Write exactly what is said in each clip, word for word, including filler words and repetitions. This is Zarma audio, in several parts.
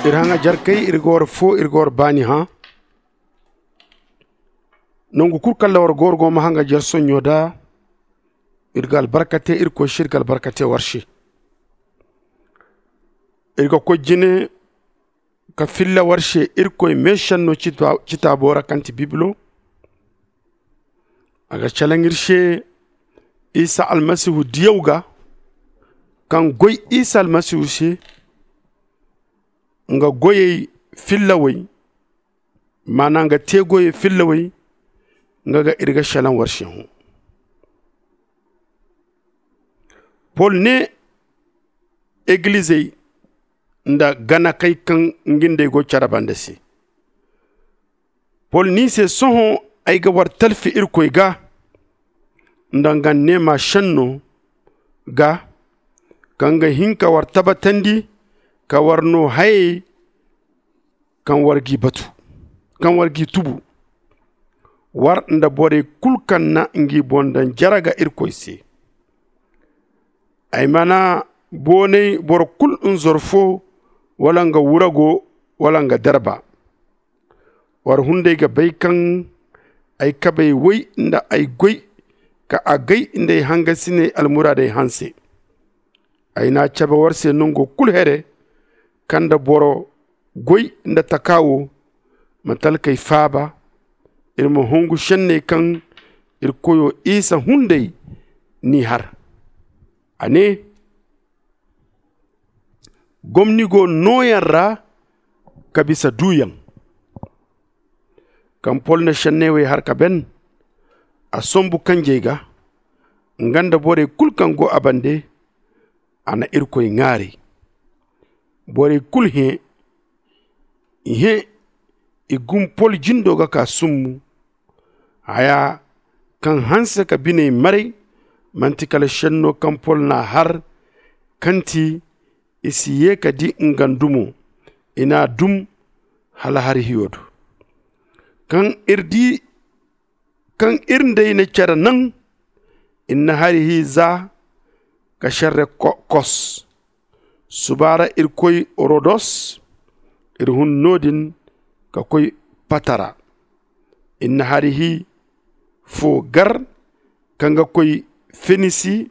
Iri haŋajerkey, iri ga war foo, iri ga war baani hã. Nangu kul kaŋ ra war ga war go ma haŋajer sonɲo da, iri ga albarka te irkoy se, iri ga albarka te war se. Iri ga koy jine ka filla war se irkoy meesenno citaabo ra kaŋ ti bibilo. A ga calaŋ iri se isa almasihu diyaw ga, kaŋ goy isa almasihu se, nga goyey fillawey, maana nga te goyey fillawey. Nga ga iri ga selaŋ war se hõ. Pol ne egilizey nda ganakey kaŋ nga nd'ey go care banda se. Pol ne i se, sohõ ay ga war talfi irkoy ga nda nga neema senno ga, kaŋ ga hin ka war tabatandi ka war no hayey kaŋ war g'i batu, kaŋ war g'i tubu, war nda borey kul kaŋ na ngi boŋ daŋ jare ga irkoy se. Ay mana boonay boro kul nzorfo wala nga wurago wala nga darba. War hunday ga bay kaŋ ay kabey woy nda ay goy ka agay nda ay hangasiney almuraadey hanse. Ay n'a cabe war se nango kul here, kaŋ nda boro goy nda taka wo ma talkey faaba, iri ma hongu senney kaŋ iri koyo isa hunday n'i har. A ne, gomni go nooyaŋ ra ka bisa duuyaŋ. Kaŋ pol na senney wey har ka ben, a sombu kanjey ga, nga nda borey kul kaŋ go a bande. A na irkoy ŋaaray. Borey kul hẽ, i hẽ, i gum pol jindo ga kaa summu. Haya kaŋ hanse ka biney maray, manti kala senno kaŋ pol n'a har, kaŋ ti i si ye ka di nga ndumo. I n'a dum hala hari hiyo do. Kaŋ iri di kaŋ iri nd'ey na care naŋ, iri na hari hi za ka serre kos. Suba ra iri koy rodos, iri hun no-din ka koy patara. Iri na hari hi fo gar kaŋ ga koy fenisi.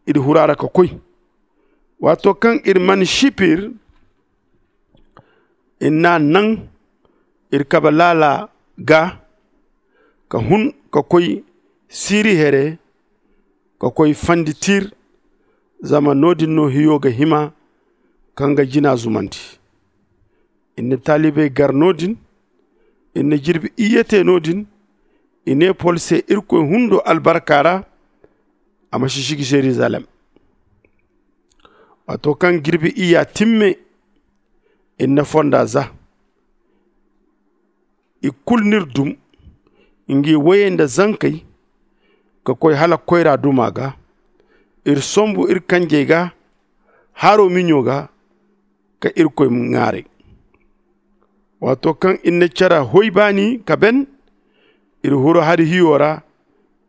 Iri huru a ra ka koy. Waato kaŋ iri man sipir, iri n'a naŋ iri kabe laala ga ka hun ka koy siiri here ka koy fandi tir. Zama no-din no hiyo ga hima ka nga jina zumandi. Iri na taalibey gar no-din. Iri na jirbi iyye te no-din. I ne pol se irkoy hundo albarka ra a ma si sigi zerizalem. Waato kaŋ jirbi iyya timme, iri na fonda za. I kulu n'iri dum, ngi woyey nda zankey, ka koy hala koyra duma ga. Iri sombu iri kanjey ga haro miɲo ga ka irkoy ŋaaray. Waato kaŋ iri na care hoy baani ka ben, iri huru hari hiyo ra.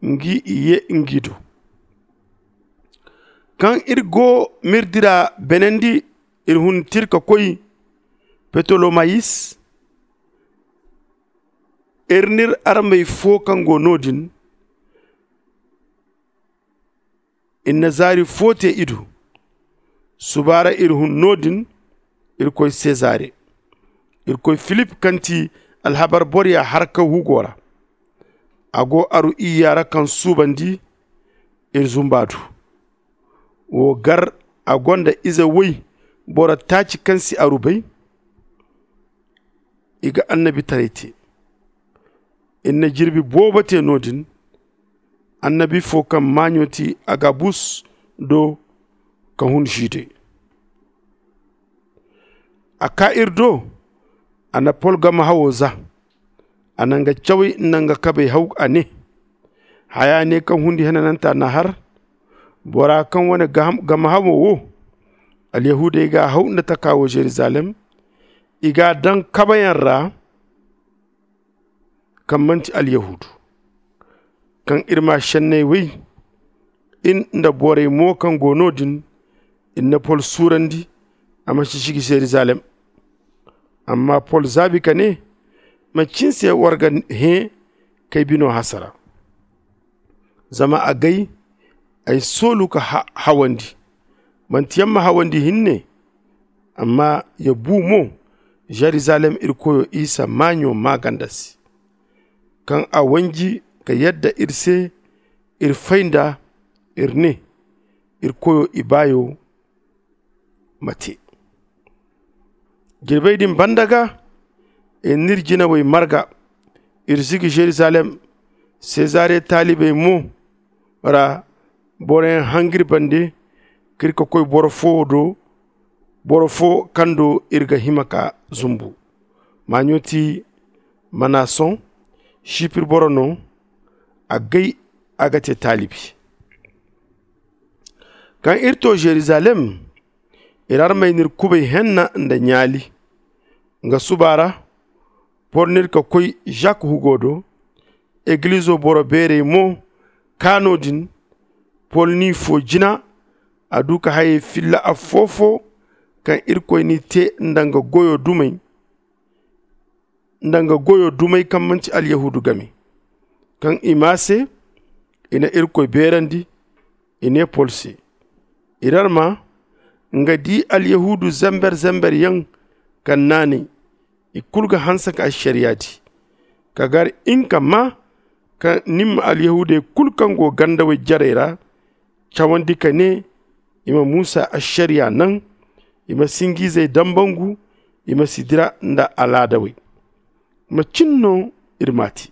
Ngi i ye ngi do. Kaŋ iri go m'iri dira benandi, iri hun tir ka koy petolomayis. Iri n'iri armey fo kaŋ go no-din. Iri na zaari fo te i do. Suba ra iri hun no-din, iri koy sezare. Iri koy filip kaŋ ti alhabar boroya har ka hugo ra. A go aru iyya ra kaŋ suubandi iri zumba du. Wo gar a gonda ize woy boro taaci kaŋ si aru bay. I ga annabitaray te. Iri na jirbi boobo te no-din. Annabi fo kaŋ maaɲo ti agabus do ka hun žide. A kaa iri do. A na pol gamahawo za. A na nga cawey nda nga kabey haw a ne, haya ne kaŋ hundi henananta n'a har. Bora kaŋ wane gamahawo wo, alyahuudey g'a haw nda taka wo zerizalem. I g'a daŋ kabeyaŋ ra kaŋ manti alyahuudu. Kaŋ iri ma senney wey, iri nda borey mo kaŋ go no-din, iri na pol suurandi a ma si sigi zerizalem. Amma pol zaabi ka nee, macin se war ga hẽ k'ay bino hasara? Zama a gay ay soolu ka hawandi. Manti yaŋ ma hawandi hinne, amma ya buu mo. Zerizalem ir koyo isa maaɲo maaganda se, kaŋ a wanji ka yadda ir se. Ir fay nda ir nee, ir koyo ibaayo ma tee. Jirbey din banda ga, ir n'ir jinawey marga. Ir zigi zerizalem. Sezare taalibey mo ra boroyaŋ hangir bande k'ir ka koy boro foo do, boro foo kaŋ do ir ga hima ka zumbu. Maaɲo ti manason, sipir boro no. A gay a ga tee taalibi. Kaŋ ir too zerizalem, ir armey n'ir kubay henna nda ɲaali. Nga suba ra, pol n'ir ka koy zak hugo do. Egilizo boro beerey mo kaa no-din. Pol n'i foo jina. A du ka hayey filla affoo-foo kaŋ irkoy n'i tee nda nga goyo dumey nda nga goyo dumey kaŋ manti alyahuudu game. Kaŋ i maa se, i na irkoy beerandi. I nee pol se, ir arma nga di alyahuudu zember-zember yaŋ kaŋ naanay, i kulu ga hanse ka ašariya di. Ka gar in ka maa kaŋ nin ma alyahuudey kulu kaŋ go gandawey jarey ra cawandi ka nee, i ma muusa ašariya naŋ, i ma sinjiizey dambangu, i ma si dira nda alaadawey. Macin no ir m'a te?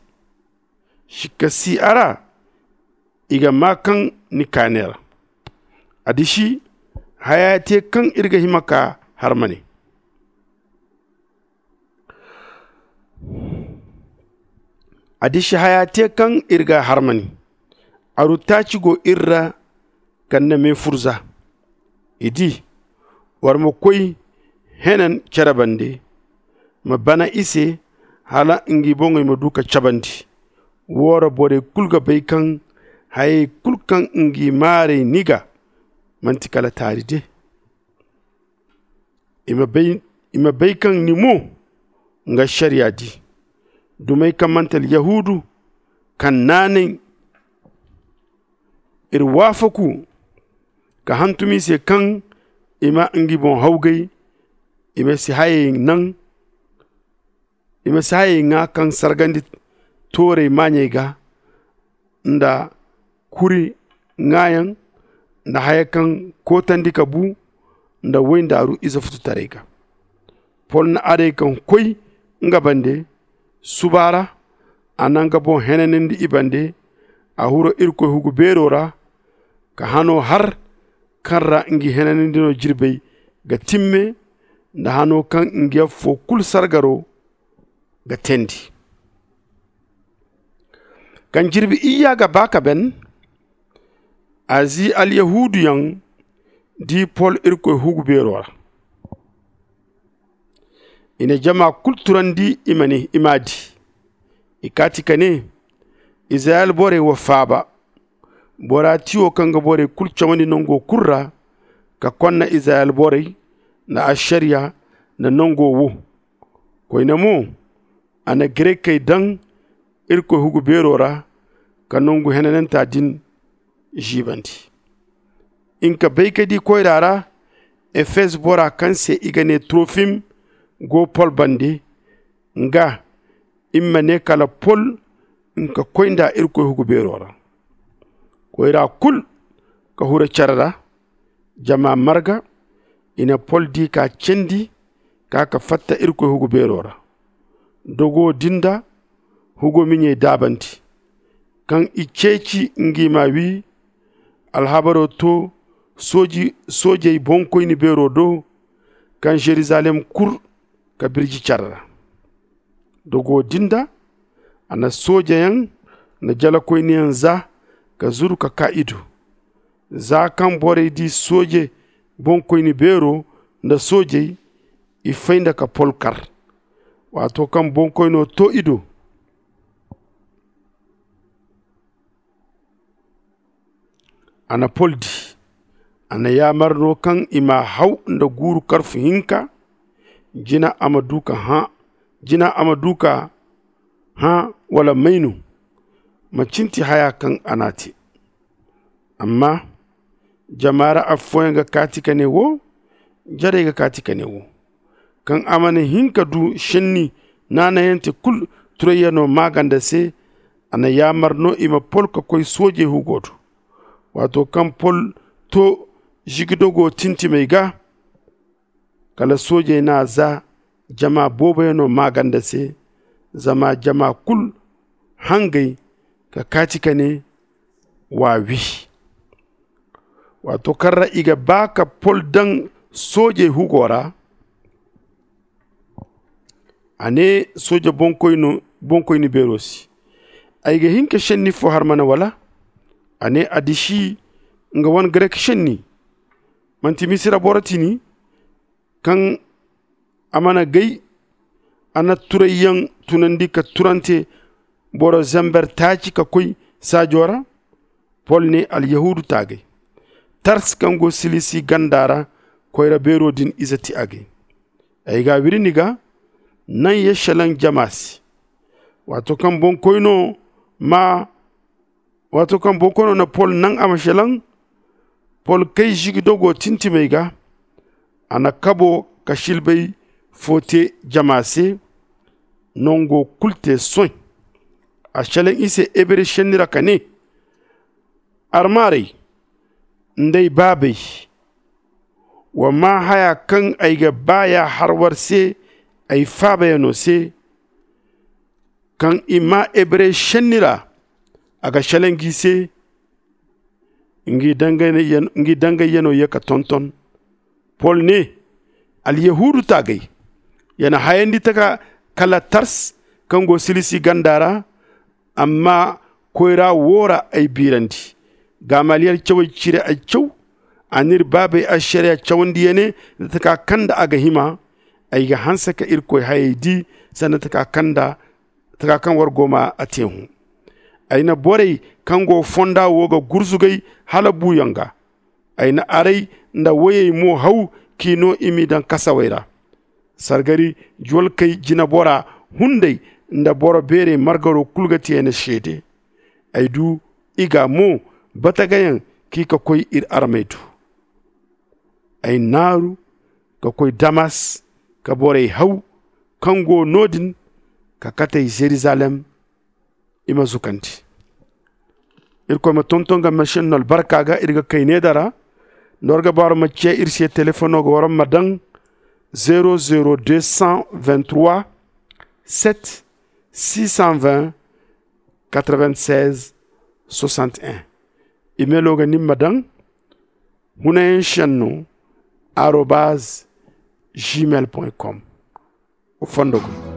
Sikka si a ra. I ga maa kaŋ ni kaane ra. A disi haya te kaŋ ir ga hima ka har ma ne. A disi haya te kaŋ ir ga har ma ne. Aru taaci go ir ra kaŋ na mee fur za. I di war ma koy henan cere bande, ma bana i se hala ngi boŋey ma du ka cabandi. Woora borey kulu ga bay kaŋ hayey kulu kaŋ ngi maarey ni ga manti kala taari de. I ma bay kaŋ ni mo nga ašariya di. Dumey kaŋ manti alyahuudu kaŋ naanay ir waafaku ka hantum i se kaŋ i ma ngi boŋ hawgay. I ma si hayey naŋ i ma si hayey ŋaa kaŋ sargandi toorey maaɲey ga nda kuri ŋaayaŋ nda haya kaŋ kootandi ka bu nda woy nda aru ize fututaray ga. Pol na arey kaŋ koy nga bande suba ra. A na nga boŋ henanandi i bande. A huro irkoy hugu beero ra ka hano har kaŋ ra ngi henanandi no jirbey ga timme nda hano kaŋ ngi affoo kulu sargaro ga teendi. Kaŋ jirbi iyya ga ba ka ben, azi alyahuuduyaŋ di pol irkoy hugu beero ra. I na jama kulu turandi i m'a di. I kaati ka ne, izirayel borey wa faaba. Bora tiyo kaŋ ga borey kulu cawandi nango kulu ra ka konna izirayel borey nda ašariya nda nango wo. Koyne mo, a na garekey daŋ irkoy hugu beero ra ka nangu henananta din ziibandi. In ka bay ka di koyra ra efez bora kaŋ se i ga ne turofim go pol bande. Nga in ma ne kala pol in ka koy nda irkoy hugu beero ra. Koyra kulu ka hura care ra. Jama marga i na pol di ka cendi ka ka fatta irkoy hugu beero ra. Dogo din da hugo miɲey daabandi. Kaŋ i ceeci ngi ma wi alhabaro to soojey boŋkoyni beero do kaŋ zerizalem kur ka birji care ra. Dogo din da a na soojeyaŋ nda jalakoyniyaŋ za ka zuru ka kaa i do. Za kaŋ borey di sooje boŋkoyni beero nda soojey, i fay nda ka pol kar. Waato kaŋ boŋkoyno to i do, a na pol di. A na yaamar no kaŋ i m'a haw nda guuru karfu hinka. Jina a ma du ka hã, jina a ma du ka hã wala may no? Ma cinti haya kaŋ a n'a te. Amma jama ra affooyaŋ ga kaati ka ne wo, jarey ga kaati ka ne wo. Kaŋ a mana hin ka du šenni naanayante kul turayyaŋo maaganda se, a na yaamar no i ma pol ka koy soojey hugo do. Waato kaŋ pol to žigidogo tintimey ga, kala soojey n'a za jama booboyaŋo maaganda se. Zama jama kul hangay ka kaati ka ne, wa wi. Waato kaŋ ra i ga ba ka pol daŋ soojey hugo ra, a ne sooje bonkoyni beero se, ay ga hin ka šenni fo har mana wala? A ne a disi nga wane garek šenni. Manti misira boro tini kaŋ a mana gay? A na turayyaŋ tunandi ka turante boro zember taaci ka koy saajo ra. Pol ne alyahuudu taagay, tars kaŋ go silisi ganda ra, koyra beero din ize ti agay. Ay ga a wiri ni ga naŋ ye šelaŋ jama se. Waato kaŋ bonkoyno ma waato kaŋ bonkoyno na pol naŋ a ma šelaŋ, pol kay žigidogo tintimey ga. A na kabo ka šilbay fo te jama se. Nango kul te soy. A šelaŋ i se hebre šenni ra ka ne, armaarey nda ay baabey, wa maa haya kaŋ ay ga ba ya har war se, ay faabayaŋo se, kaŋ i maa hebre šenni ra. A ga šelaŋ gi se. Ngi dangayyaŋo ye ka tonton. Pol ne, alyahuudu taagay, ya na hayandi taka kala tars kaŋ go silisi ganda ra. Amma koyra wo ra ay biirandi. Gamaliyel cawey cire ay caw. A n'iri baabey ašariya cawandi ya ne, nda taka kaŋ nda a ga hima, ay ga hanse ka irkoy hayey di sanda taka kaŋ war go ma a te hõ. Ay na borey kaŋ go fonda wo ga gurzugay hala buuyaŋ ga. Ay na arey nda woyey mo haw k'i no i m'i daŋ kasawey ra. Sargari juwalkey jinabora hunday nda boro beerey margaro kul ga ti ay na seede. Ay du i ga mo batagayaŋ k'i ka koy iri armey do. Ay naaru ka koy damas ka borey haw kaŋ go no- din ka kate ay zerizalem. I ma zukandi. Irkoy ma tonton ga ma senno albarka ga iri ga kay needa ra. Nda war ga baaru ma ciya iri se telefono ga war ma daŋ zero zero deux cent vingt trois sept six cent vingt quatre vingt seize soixante et un. Imelo ga nin ma daŋ hunayen senno arobaz gmail point com. Fondo go.